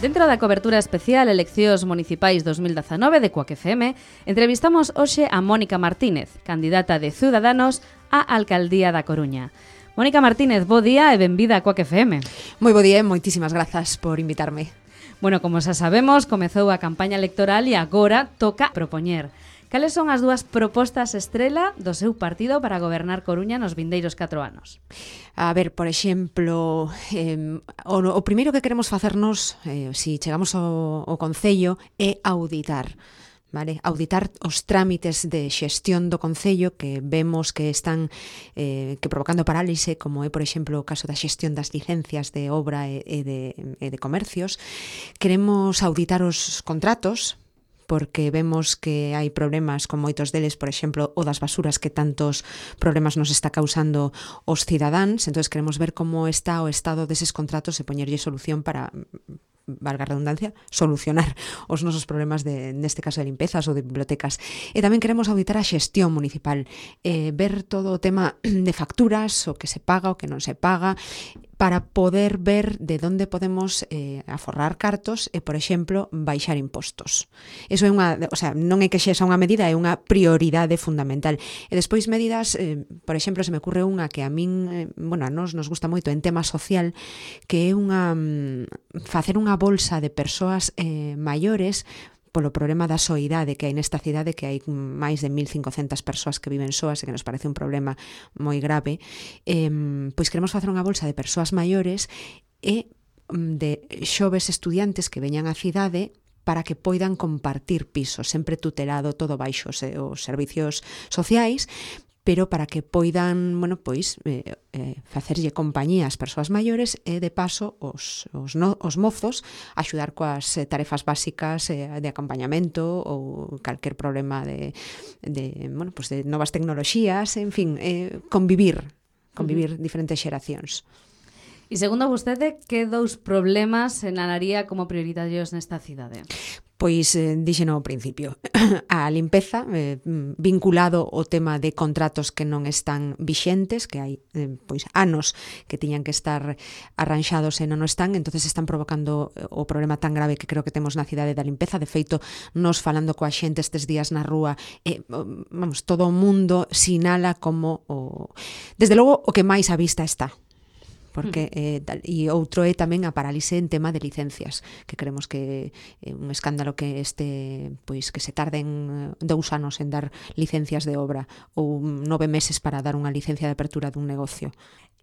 Dentro da cobertura especial Eleccións Municipais 2019 de Cuac FM, entrevistamos hoxe a Mónica Martínez, candidata de Ciudadanos á Alcaldía da Coruña. Mónica Martínez, bo día e benvida a Cuac FM. Moi bo día e moitísimas grazas por invitarme. Bueno, como xa sabemos, comezou a campaña electoral e agora toca propoñer. Cales son as dúas propostas estrela do seu partido para gobernar Coruña nos vindeiros 4 anos? A ver, por exemplo, o primeiro que queremos facernos, se chegamos ao Concello, é auditar. Vale? Auditar os trámites de xestión do Concello que vemos que están que provocando parálise, como é, por exemplo, o caso da xestión das licencias de obra e de comercios. Queremos auditar os contratos, porque vemos que hai problemas con moitos deles, por exemplo, o das basuras que tantos problemas nos está causando os cidadáns. Entón, queremos ver como está o estado deses contratos e poñerlle solución para, valga a redundancia, solucionar os nosos problemas neste caso de limpezas ou de bibliotecas. E tamén queremos auditar a xestión municipal, ver todo o tema de facturas, o que se paga, o que non se paga, para poder ver de onde podemos aforrar cartos e, por exemplo, baixar impostos. Eso é non é que xa unha medida, é unha prioridade fundamental. E despois medidas, por exemplo, se me ocurre unha que a min, a nos gusta moito en tema social, que é facer unha bolsa de persoas maiores polo problema da soidade que hai nesta cidade, que hai máis de 1.500 persoas que viven soas e que nos parece un problema moi grave. Pois queremos facer unha bolsa de persoas maiores e de xoves estudiantes que veñan á cidade para que poidan compartir pisos, sempre tutelado todo baixo os servicios sociais, pero para que poidan, facerlle compañía ás persoas maiores e, de paso, os mozos axudar coas tarefas básicas de acompañamento ou calquer problema de novas tecnoloxías, en fin, convivir diferentes xeracións. E segundo vostede, que dous problemas enalaría como prioritarios nesta cidade? Pois dixeno ao principio, a limpeza, vinculado ao tema de contratos que non están vixentes, que hai anos que tiñan que estar arranxados e non están, entonces están provocando o problema tan grave que creo que temos na cidade da limpeza. De feito, nos falando coa xente estes días na rúa, todo o mundo sinala como desde logo o que máis á vista está. Porque e outro é tamén a parálise en tema de licencias, que creemos que é un escándalo que que se tarden 2 anos en dar licencias de obra ou 9 meses para dar unha licencia de apertura dun negocio.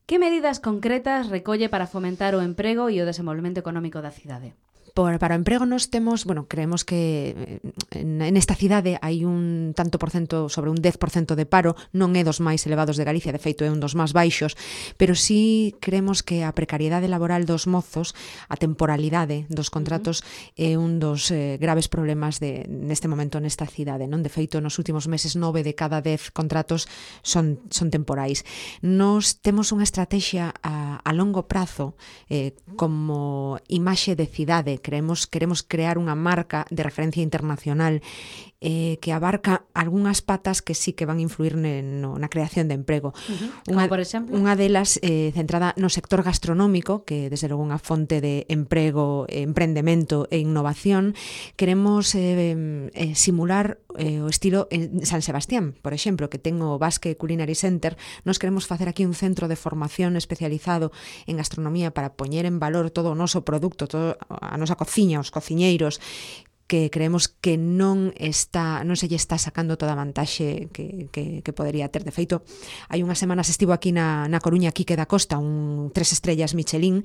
Que medidas concretas recolle para fomentar o emprego e o desenvolvemento económico da cidade? Para o emprego nos temos, creemos que nesta cidade hai un tanto por cento, sobre un 10% de paro, non é dos máis elevados de Galicia, de feito é un dos máis baixos, pero sí creemos que a precariedade laboral dos mozos, a temporalidade dos contratos é un dos graves problemas neste momento nesta cidade, non? De feito, nos últimos meses 9 de cada 10 contratos son temporais. Nos temos unha estrategia a longo prazo como imaxe de cidade. Queremos crear unha marca de referencia internacional que abarca algunhas patas que sí que van a influir na creación de emprego. Como, por exemplo? Unha delas centrada no sector gastronómico, que desde logo unha fonte de emprego, emprendemento e innovación. Queremos simular o estilo en San Sebastián, por exemplo, que ten o Basque Culinary Center. Nos queremos facer aquí un centro de formación especializado en gastronomía para poñer en valor todo o noso produto, toda a nosa cociña, os cociñeiros, que creemos que non se lle está sacando toda a vantaxe que podería ter. De feito, hai unhas semanas estivo aquí na Coruña Quique da Costa, un 3 estrellas Michelin,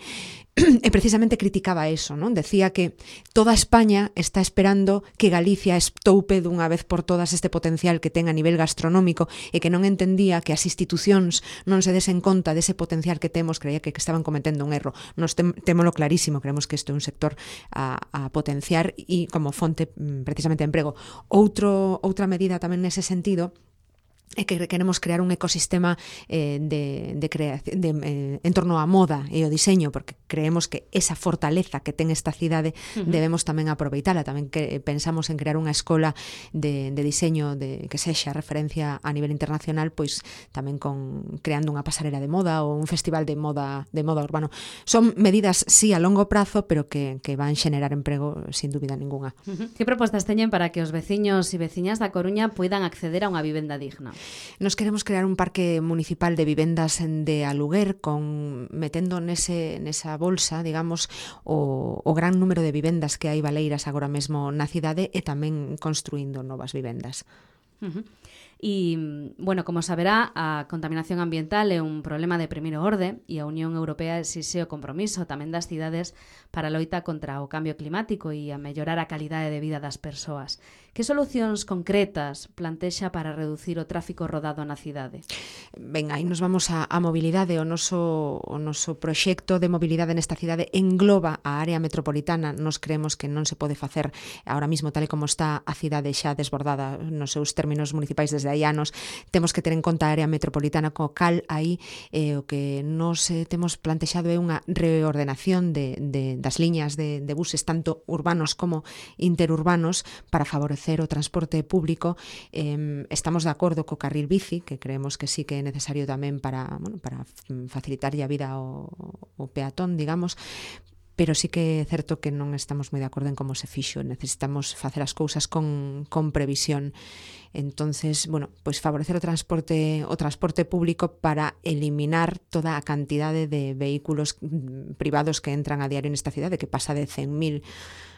e precisamente criticaba eso, non? Decía que toda España está esperando que Galicia estoupe dunha vez por todas este potencial que ten a nivel gastronómico e que non entendía que as institucións non se desen conta dese potencial que temos, creía que estaban cometendo un erro. Nos témolo clarísimo, creemos que isto é un sector a potenciar e como fonte precisamente de emprego. Outra medida tamén nese sentido e que queremos crear un ecosistema en torno á moda e o diseño, porque creemos que esa fortaleza que ten esta cidade debemos tamén aproveitala. Tamén que pensamos en crear unha escola de diseño que sexa referencia a nivel internacional, pois tamén creando unha pasarela de moda ou un festival de moda urbano. Son medidas, sí, a longo prazo, pero que van xenerar emprego sin dúbida ninguna. Que propostas teñen para que os veciños e veciñas da Coruña poidan acceder a unha vivenda digna? Nos queremos crear un parque municipal de vivendas de aluguer metendo nesa bolsa, digamos, o gran número de vivendas que hai baleiras agora mesmo na cidade e tamén construindo novas vivendas. E, bueno, como saberá, a contaminación ambiental é un problema de primeiro orde e a Unión Europea exixe o compromiso tamén das cidades para a loita contra o cambio climático e a mellorar a calidade de vida das persoas. Que solucións concretas plantexa para reducir o tráfico rodado na cidade? Ben, aí nos vamos a mobilidade. O noso proxecto de mobilidade nesta cidade engloba a área metropolitana. Nos creemos que non se pode facer ahora mismo tal e como está a cidade xa desbordada nos seus términos municipais desde hai anos. Temos que ter en conta a área metropolitana, co cal aí o que nos temos plantexado é unha reordenación das liñas de buses tanto urbanos como interurbanos para favorecer o transporte público. Estamos de acordo co carril bici, que creemos que sí que é necesario tamén para facilitarlle a vida ao peatón, digamos, pero sí que é certo que non estamos moi de acordo en como se fixo. Necesitamos facer as cousas con previsión. Entonces, bueno, pois favorecer o transporte público para eliminar toda a cantidade de vehículos privados que entran a diario nesta cidade, que pasa de 100.000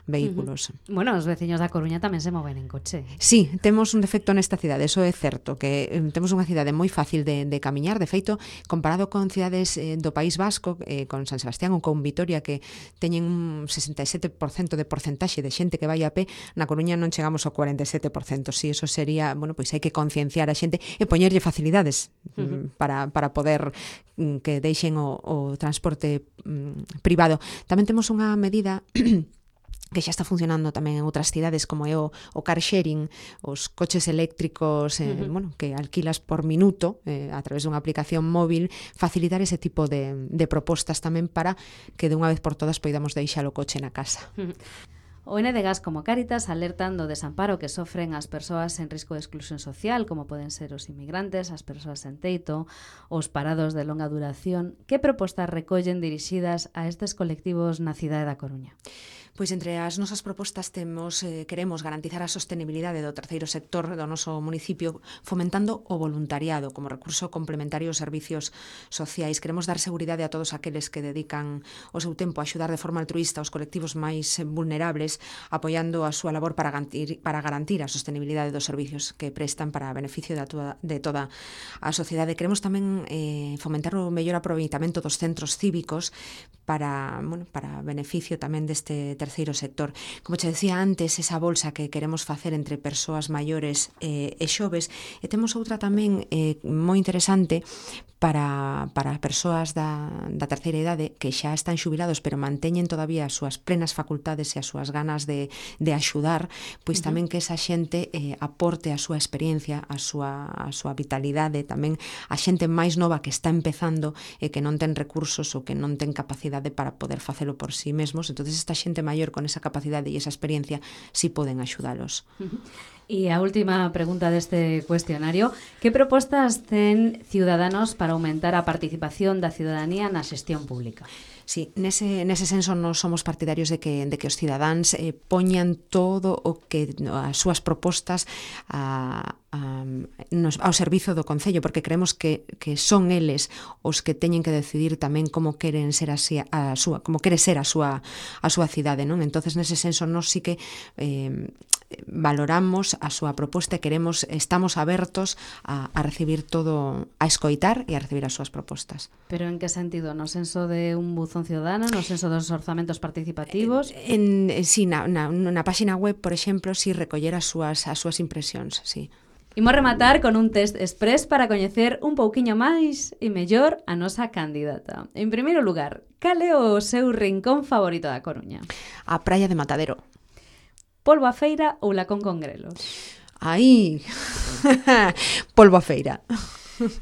vehículos. Bueno, os veciños da Coruña tamén se moven en coche. Sí, temos un defecto nesta cidade, eso é certo, que temos unha cidade moi fácil de camiñar. De feito, comparado con cidades do País Vasco, con San Sebastián ou con Vitoria, que teñen un 67% de porcentaxe de xente que vai a pé, na Coruña non chegamos ao 47%. Si, eso sería, bueno, pois hai que concienciar a xente e poñerlle facilidades para poder que deixen o transporte privado. Tamén temos unha medida que xa está funcionando tamén en outras cidades, como é o car sharing, os coches eléctricos bueno, que alquilas por minuto a través dunha aplicación móvil, facilitar ese tipo de propostas tamén para que de unha vez por todas poidamos deixar o coche na casa. O NDGAS como Cáritas alertan do desamparo que sofren as persoas en risco de exclusión social, como poden ser os inmigrantes, as persoas sen teito, os parados de longa duración. Que propostas recollen dirixidas a estes colectivos na cidade da Coruña? Pois entre as nosas propostas queremos garantizar a sostenibilidade do terceiro sector do noso municipio, fomentando o voluntariado como recurso complementario aos servicios sociais. Queremos dar seguridade a todos aqueles que dedican o seu tempo a axudar de forma altruísta aos colectivos máis vulnerables, apoiando a súa labor para garantir a sostenibilidade dos servicios que prestan para beneficio de toda a sociedade. Queremos tamén fomentar o mellor aproveitamento dos centros cívicos para beneficio tamén deste terceiro sector. Como che decía antes, esa bolsa que queremos facer entre persoas maiores e xoves, e temos outra tamén moi interesante para persoas da terceira idade que xa están xubilados pero manteñen todavía as súas plenas facultades e as súas ganas de axudar, pois tamén que esa xente aporte a súa experiencia, a súa vitalidade, tamén a xente máis nova que está empezando e que non ten recursos ou que non ten capacidade para poder facelo por sí mesmos. Entonces esta xente maior con esa capacidade e esa experiencia sí poden axudalos. E a última pregunta deste cuestionario: que propostas ten Ciudadanos para aumentar a participación da ciudadanía na xestión pública? Sí, nese senso nos somos partidarios de que os cidadáns poñan todo o que as súas propostas ao servizo do Concello, porque creemos que son eles os que teñen que decidir tamén como queren ser como quere ser a súa cidade, non? Entonces nese senso nós sí que valoramos a súa proposta e estamos abertos a recibir todo, a escoitar e a recibir as súas propostas. Pero en que sentido? No senso de un buzón ciudadano? No senso dos orzamentos participativos? Sí, na páxina web, por exemplo, si recoller as súas impresións, sí. Imos rematar con un test express para coñecer un pouquiño máis e mellor a nosa candidata. En primeiro lugar, cal é o seu rincón favorito da Coruña? A praia de Matadero. Polbo a feira ou lacón con grelos? Aí, polvo a feira.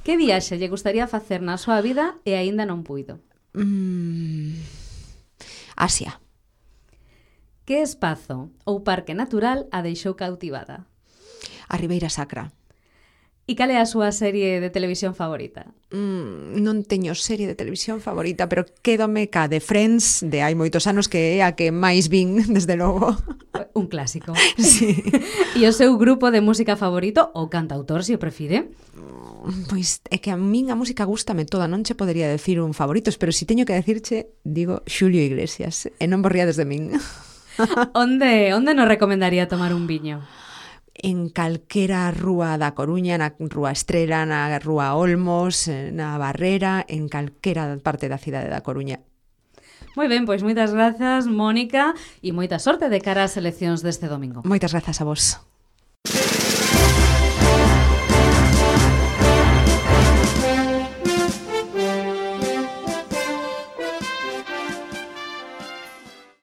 Que viaxe lle gustaría facer na súa vida e aínda non puido? Asia. Que espazo ou parque natural a deixou cautivada? A Ribeira Sacra. E cal é a súa serie de televisión favorita? Non teño serie de televisión favorita, pero quédome ca de Friends de hai moitos anos, que é a que máis vin, desde logo. Un clásico. Sí. E o seu grupo de música favorito ou cantautor, se o prefire? Pois é que a min a música gústame toda, non che podería decir un favorito, pero si teño que decirche, digo Xulio Iglesias, e non borriades de min. Onde nos recomendaría tomar un viño? En calquera rúa da Coruña, na Rúa Estrela, na Rúa Olmos, na Barrera, en calquera parte da cidade da Coruña. Moi ben, pois moitas grazas, Mónica, e moita sorte de cara ás eleccións deste domingo. Moitas grazas a vos.